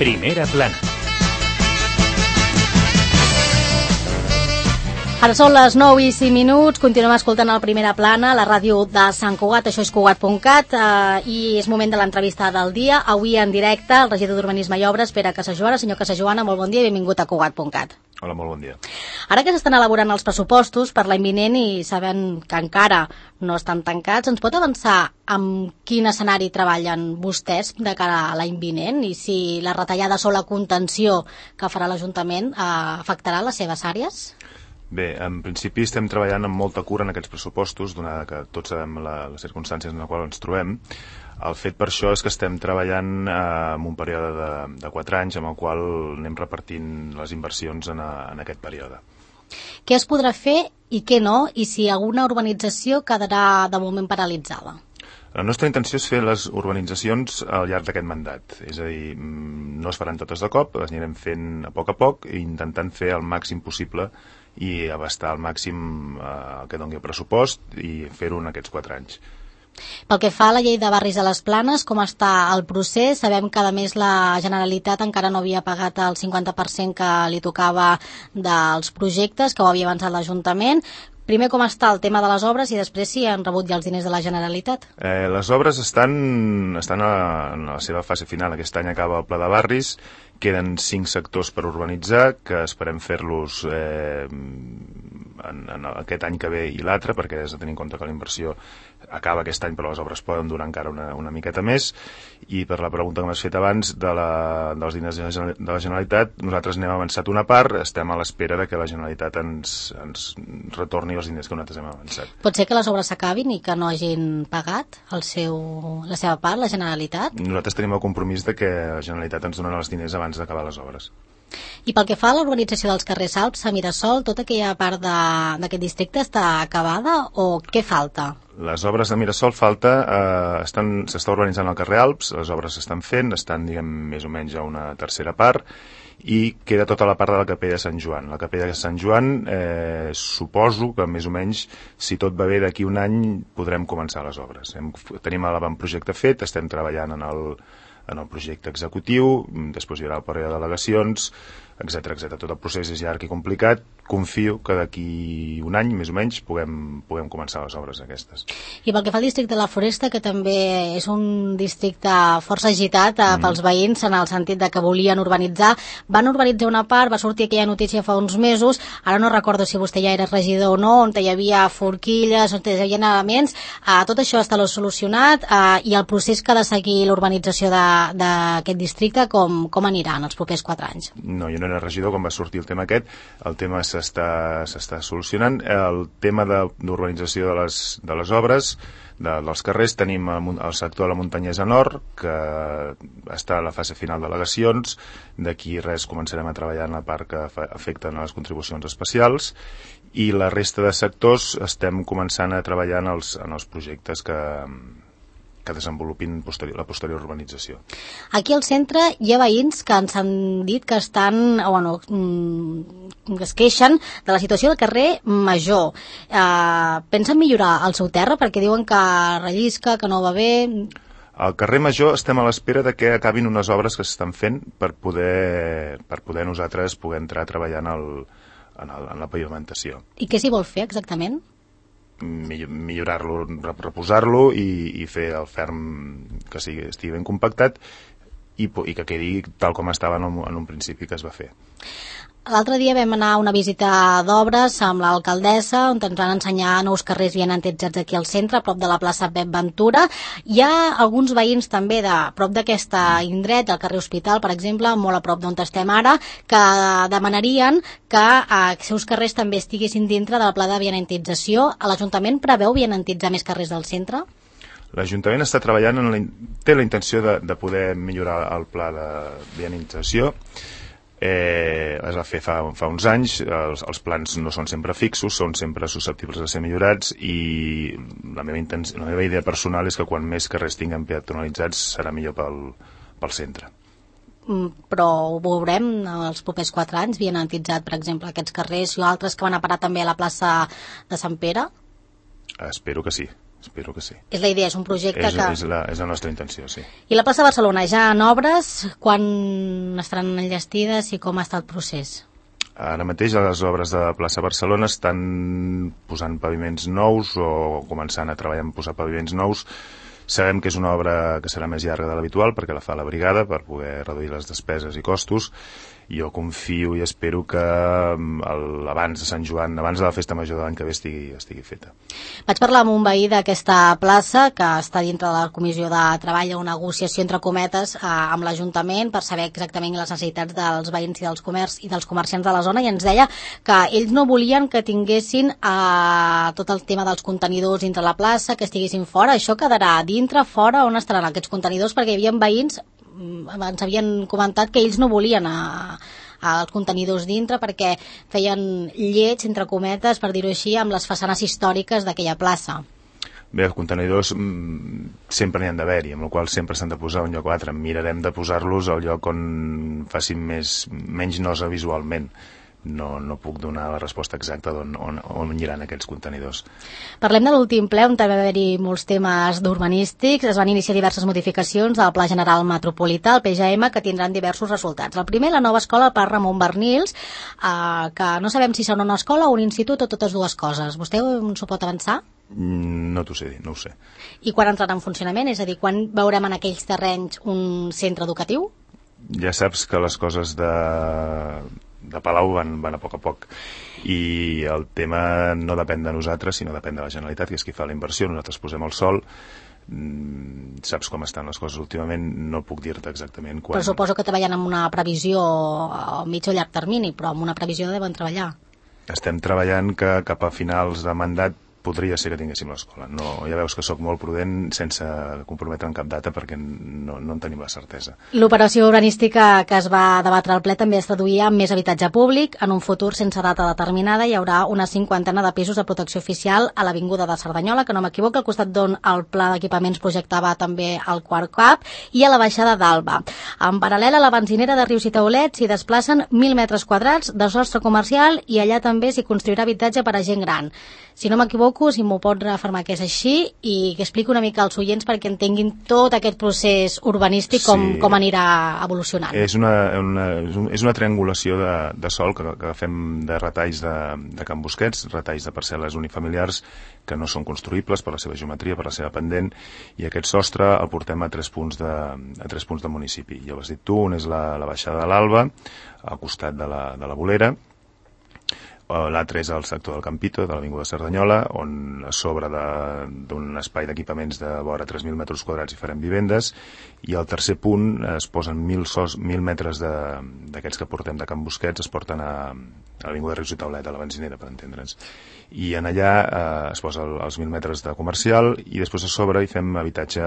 Primera plana. Ara són les 9:05, continuem escoltant el Primera Plana, la ràdio de Sant Cugat, això és Cugat.cat, i és moment de l'entrevista del dia. Avui en directe, el regidor d'Urbanisme i Obres, Pere Casajoana. Senyor Casajoana, molt bon dia i benvingut a Cugat.cat. Hola, molt bon dia. Ara que s'estan elaborant els pressupostos per l'any vinent i sabent que encara no estan tancats, ens pot avançar amb quin escenari treballen vostès de cara a l'any vinent i si la retallada o la contenció que farà l'Ajuntament afectarà les seves àrees? Bé, en principi estem treballant amb molta cura en aquests pressupostos, donada que tots sabem les circumstàncies en les quals ens trobem. El fet per això és que estem treballant en un període de 4 anys, amb el qual anem repartint les inversions en aquest període. Què es podrà fer i què no, i si alguna urbanització quedarà de moment paralitzada? La nostra intenció és fer les urbanitzacions al llarg d'aquest mandat, és a dir, no es faran totes de cop, les anirem fent a poc i intentant fer el màxim possible i abastar al màxim que doni el pressupost i fer-ho en aquests 4 anys. Pel que fa a la llei de barris de les Planes, com està el procés? Sabem que a més la Generalitat encara no havia pagat el 50% que li tocava dels projectes, que ho havia avançat l'Ajuntament. Primer, com està el tema de les obres i després si han rebut ja els diners de la Generalitat? Les obres estan en la seva fase final. Aquest any acaba el Pla de Barris, queden 5 sectors per urbanitzar, que esperem fer-los en aquest any que ve i l'altre, perquè has de tenir en compte que la inversió acaba aquest any, però les obres poden durar encara una miqueta més. I per la pregunta que m'has fet abans dels diners de la Generalitat, nosaltres n'hem avançat una part, estem a l'espera de que la Generalitat ens retorni els diners que nosaltres hem avançat. Pot ser que les obres s'acabin i que no hagin pagat la seva part, la Generalitat? Nosaltres tenim el compromís de que la Generalitat ens donarà els diners abans d'acabar les obres. I pel que fa a l'urbanització dels carrers Alps, a Mirasol, tota aquella part d'aquest districte està acabada o què falta? Les obres de Mirasol s'està urbanitzant el carrer Alps, les obres s'estan fent, estan, diguem, més o menys a una tercera part, i queda tota la part de la Capella de Sant Joan. La Capella de Sant Joan, suposo que més o menys, si tot va bé, d'aquí un any podrem començar les obres. Tenim l'avantprojecte fet, estem treballant en el projecte executiu, després hi haurà el període d'al·legacions, etc. Tot el procés és llarg i complicat. Confio que d'aquí un any, més o menys, puguem començar les obres aquestes. I pel que fa al districte de la Foresta, que també és un districte força agitat pels veïns, en el sentit de que volien urbanitzar, van urbanitzar una part, va sortir aquella notícia fa uns mesos, ara no recordo si vostè ja era regidor o no, on hi havia forquilles, on hi havia elements, tot això està solucionat, i el procés que ha de seguir l'urbanització d'aquest districte, com anirà en els propers 4 anys? No, jo no era regidor quan va sortir el tema aquest, el tema s'està solucionant. El tema d'urbanització de les obres, dels carrers, tenim el sector de la Muntanyesa Nord, que està a la fase final d'al·legacions. D'aquí res començarem a treballar en la part que afecten a les contribucions especials, i la resta de sectors estem començant a treballar en els projectes que desenvolupin la posterior urbanització. Aquí al centre hi ha veïns que ens han dit que que es queixen de la situació del carrer Major. Pensen millorar el seu terra perquè diuen que rellisca, que no va bé? Al carrer Major estem a l'espera de que acabin unes obres que s'estan fent per poder nosaltres poder entrar a treballar en la pavimentació. I què s'hi vol fer exactament? Millorar-lo, reposar-lo i fer el ferm que estigui ben compactat i que quedi tal com estava en un principi que es va fer. L'altre dia vam anar a una visita d'obres amb l'alcaldessa, on ens van ensenyar nous carrers ben antitzats aquí al centre, a prop de la plaça Pep Ventura. Hi ha alguns veïns també de prop d'aquesta indret, del carrer Hospital, per exemple, molt a prop d'on estem ara, que demanarien que els seus carrers també estiguessin dintre del pla de vianantització. L'Ajuntament preveu vianantitzar més carrers del centre? L'Ajuntament està treballant, té la intenció de poder millorar el pla de vianantització. Es va fer fa uns anys, els plans no són sempre fixos, són sempre susceptibles de ser millorats, i la meva idea personal és que quan més carrers tinguem peatonalitzats serà millor pel centre. Però ho veurem els propers 4 anys, vianantitzat, per exemple, aquests carrers i altres que van a parar també a la plaça de Sant Pere? Espero que sí. espero que sí. És la idea, és un projecte que... És la nostra intenció, sí. I la plaça de Barcelona, ja en obres, quan estaran enllestides i com ha estat el procés? Ara mateix les obres de plaça Barcelona estan posant paviments nous o començant a treballar en posar paviments nous. Sabem que és una obra que serà més llarga de l'habitual perquè la fa la brigada per poder reduir les despeses i costos. Jo confio i espero que abans de Sant Joan, abans de la festa major de l'any que ve estigui feta. Vaig parlar amb un veí d'aquesta plaça que està dintre de la Comissió de Treball, una negociació entre cometes amb l'Ajuntament per saber exactament les necessitats dels veïns i dels comerciants de la zona, i ens deia que ells no volien que tinguessin tot el tema dels contenidors dintre la plaça, que estiguessin fora. Això quedarà dintre, fora? On estaran aquests contenidors? Perquè hi havia veïns, ens havien comentat que ells no volien els contenidors dintre perquè feien lleig, entre cometes, per dir-ho així, amb les façanes històriques d'aquella plaça. Bé, els contenidors sempre n'hi han d'haver-hi, amb la qual sempre s'han de posar a un lloc o altre. Mirarem de posar-los al lloc on facin menys nosa visualment. No puc donar la resposta exacta on aniran aquests contenidors. Parlem de l'últim ple, on també va haver-hi molts temes d'urbanístics. Es van iniciar diverses modificacions al Pla General Metropolità, el PGM, que tindran diversos resultats. El primer, la nova escola al Parc Ramon Barnils, que no sabem si serà una escola o un institut o totes dues coses. Vostè s'ho pot avançar? No t'ho sé dir, no ho sé. I quan entrarà en funcionament? És a dir, quan veurem en aquells terrenys un centre educatiu? Ja saps que les coses de Palau van a poc i el tema no depèn de nosaltres sinó depèn de la Generalitat, que és qui fa la inversió. Nosaltres posem el sol. Saps com estan les coses últimament, no puc dir-te exactament quan. Però suposo que treballen amb una previsió a mig o llarg termini, però amb una previsió deuen treballar. Estem treballant que cap a finals de mandat podria ser que tinguéssim l'escola. No, ja veus que sóc molt prudent sense comprometre en cap data perquè no en tenim la certesa. L'operació urbanística que es va debatre al ple també es traduïa en més habitatge públic. En un futur sense data determinada hi haurà una 50 de pisos de protecció oficial a l'Avinguda de Cerdanyola, que no m'equivoco, al costat d'on el pla d'equipaments projectava també el quart cap, i a la baixada d'Alba. En paral·lel a la benzinera de Rius i Taulet s'hi desplacen 1.000 metres quadrats de sostre comercial i allà també s'hi construirà habitatge per a gent gran. Si no m'equivoco, si m'ho pot reafirmar que és així, i que expliqui una mica als oients perquè entenguin tot aquest procés urbanístic, com anirà evolucionant. És una triangulació de sòl que fem de retalls de Can Busquets, retalls de parcel·les unifamiliars que no són construïbles per la seva geometria, per la seva pendent, i aquest sostre el portem a 3 punts de municipi. Ja ho has dit tu, un és la baixada de l'Alba, al costat de la Bolera. L'altre és el sector del Campito, de l'Avinguda de Cerdanyola, on a sobre d'un espai d'equipaments de vora 3.000 metres quadrats hi farem vivendes, i al tercer punt es posen 1.000 metres d'aquests que portem de Can Busquets, es porten a l'Avinguda Rius i Taulet, a la benzinera, per entendre'ns. I en allà es posa els 1.000 metres de comercial i després a sobre hi fem habitatge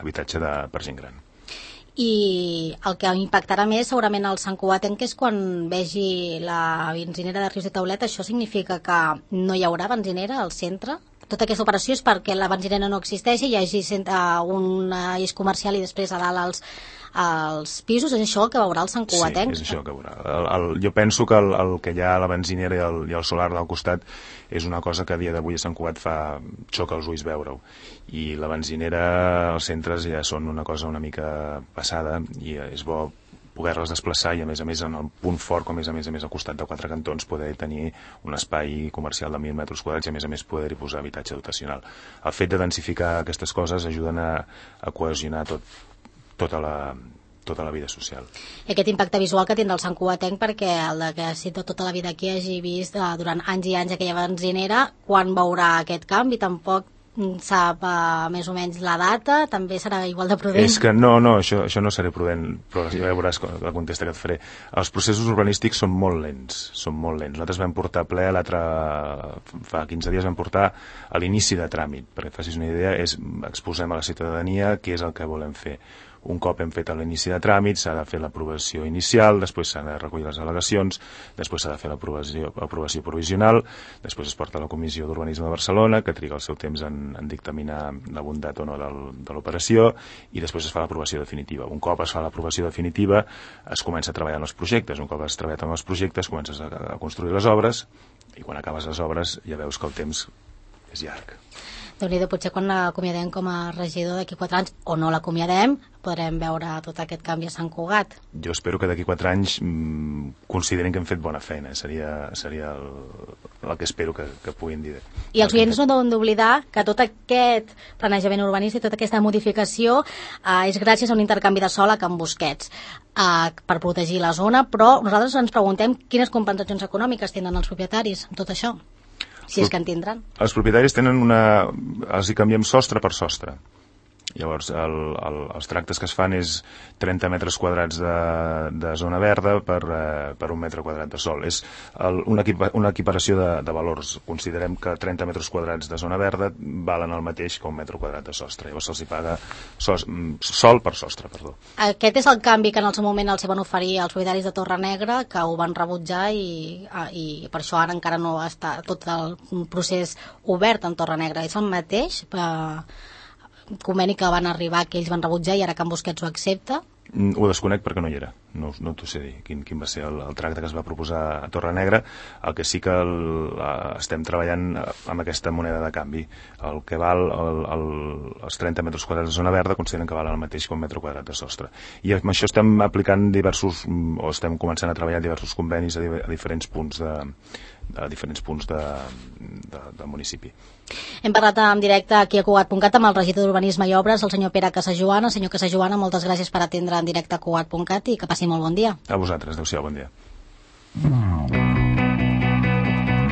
per gent gran. I el que impactarà més segurament al Sant Cugatenc és quan vegi la benzinera de Rius i Taulet. Això significa que no hi haurà benzinera al centre? Tota aquesta operació és perquè la benzinera no existeixi, hi hagi un eix comercial i després a dalt els pisos. És això el que veurà el Sant Cugatenc? Sí, és això que veurà. Jo penso que el que hi ha a la benzinera i el solar del costat és una cosa que a dia d'avui a Sant Cugat xoca els ulls veure-ho. I la benzinera, els centres ja són una cosa una mica passada i és bo poder-les desplaçar i a més en el punt fort, com és a més al costat de 4 cantons, poder tenir un espai comercial de 1.000 metres quadrats i a més poder-hi posar habitatge dotacional. El fet de densificar aquestes coses ajuden a cohesionar tota la vida social. I aquest impacte visual que tindrà el Sant Cugatenc, perquè el que si tota la vida aquí hagi vist durant anys i anys aquella benzinera, quan veurà aquest canvi? Tampoc sap més o menys la data, també serà igual de prudent? És que no, això no seré prudent, però ja veuràs la contesta que et faré. Els processos urbanístics són molt lents. Nosaltres vam portar a ple fa 15 dies vam portar a l'inici de tràmit, perquè et facis una idea, exposem a la ciutadania què és el que volem fer. Un cop hem fet l'inici de tràmit, s'ha de fer l'aprovació inicial, després s'han de recollir les al·legacions, després s'ha de fer l'aprovació provisional, després es porta a la Comissió d'Urbanisme de Barcelona, que triga el seu temps en dictaminar la bondat o no de l'operació, i després es fa l'aprovació definitiva. Un cop es fa l'aprovació definitiva, es comença a treballar en els projectes. Un cop has treballat en els projectes, comences a construir les obres, i quan acabes les obres ja veus que el temps llarg. Déu-n'hi-do, potser quan l'acomiadem com a regidor d'aquí 4 anys, o no l'acomiadem, podrem veure tot aquest canvi a Sant Cugat. Jo espero que d'aquí 4 anys considerin que hem fet bona feina. Seria el que espero que puguin dir. I els oients no deuen d'oblidar que tot aquest planejament urbanístic, tota aquesta modificació és gràcies a un intercanvi de sòl a Can Busquets per protegir la zona, però nosaltres ens preguntem quines compensacions econòmiques tenen els propietaris amb tot això. Si és que en tindran. Els propietaris tenen els hi canviem sostre per sostre. Llavors, els tractes que es fan és 30 metres quadrats de zona verda per 1 metre quadrat de sòl. És una equiparació de valors. Considerem que 30 metres quadrats de zona verda valen el mateix que 1 metre quadrat de sostre. Llavors se'ls paga sòl per sostre. Perdó. Aquest és el canvi que en el seu moment els van oferir els propietaris de Torrenegra, que ho van rebutjar i per això ara encara no està tot el procés obert en Torrenegra. És el mateix conveni que van arribar, que ells van rebutjar i ara Can Busquets ho accepta? Ho desconec perquè no hi era, no t'ho sé dir quin va ser el tracte que es va proposar a Torrenegra. El que sí que estem treballant amb aquesta moneda de canvi. El que val els 30 metres quadrats de zona verda consideren que val el mateix que 1 metre quadrat de sostre, i amb això estem aplicant estem començant a treballar diversos convenis a diferents punts del municipi. Hem parlat en directe aquí a Cugat.cat amb el regidor d'Urbanisme i Obres, el senyor Pere Casajoana. Senyor Casajoana, moltes gràcies per atendre en directe a Cugat.cat i que passi molt bon dia. A vosaltres, adéu-siau, bon dia.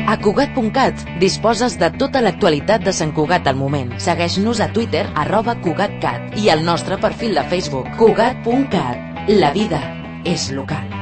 A Cugat.cat disposes de tota l'actualitat de Sant Cugat al moment. Segueix-nos a Twitter @CugatCat i al nostre perfil de Facebook Cugat.cat. La vida és local.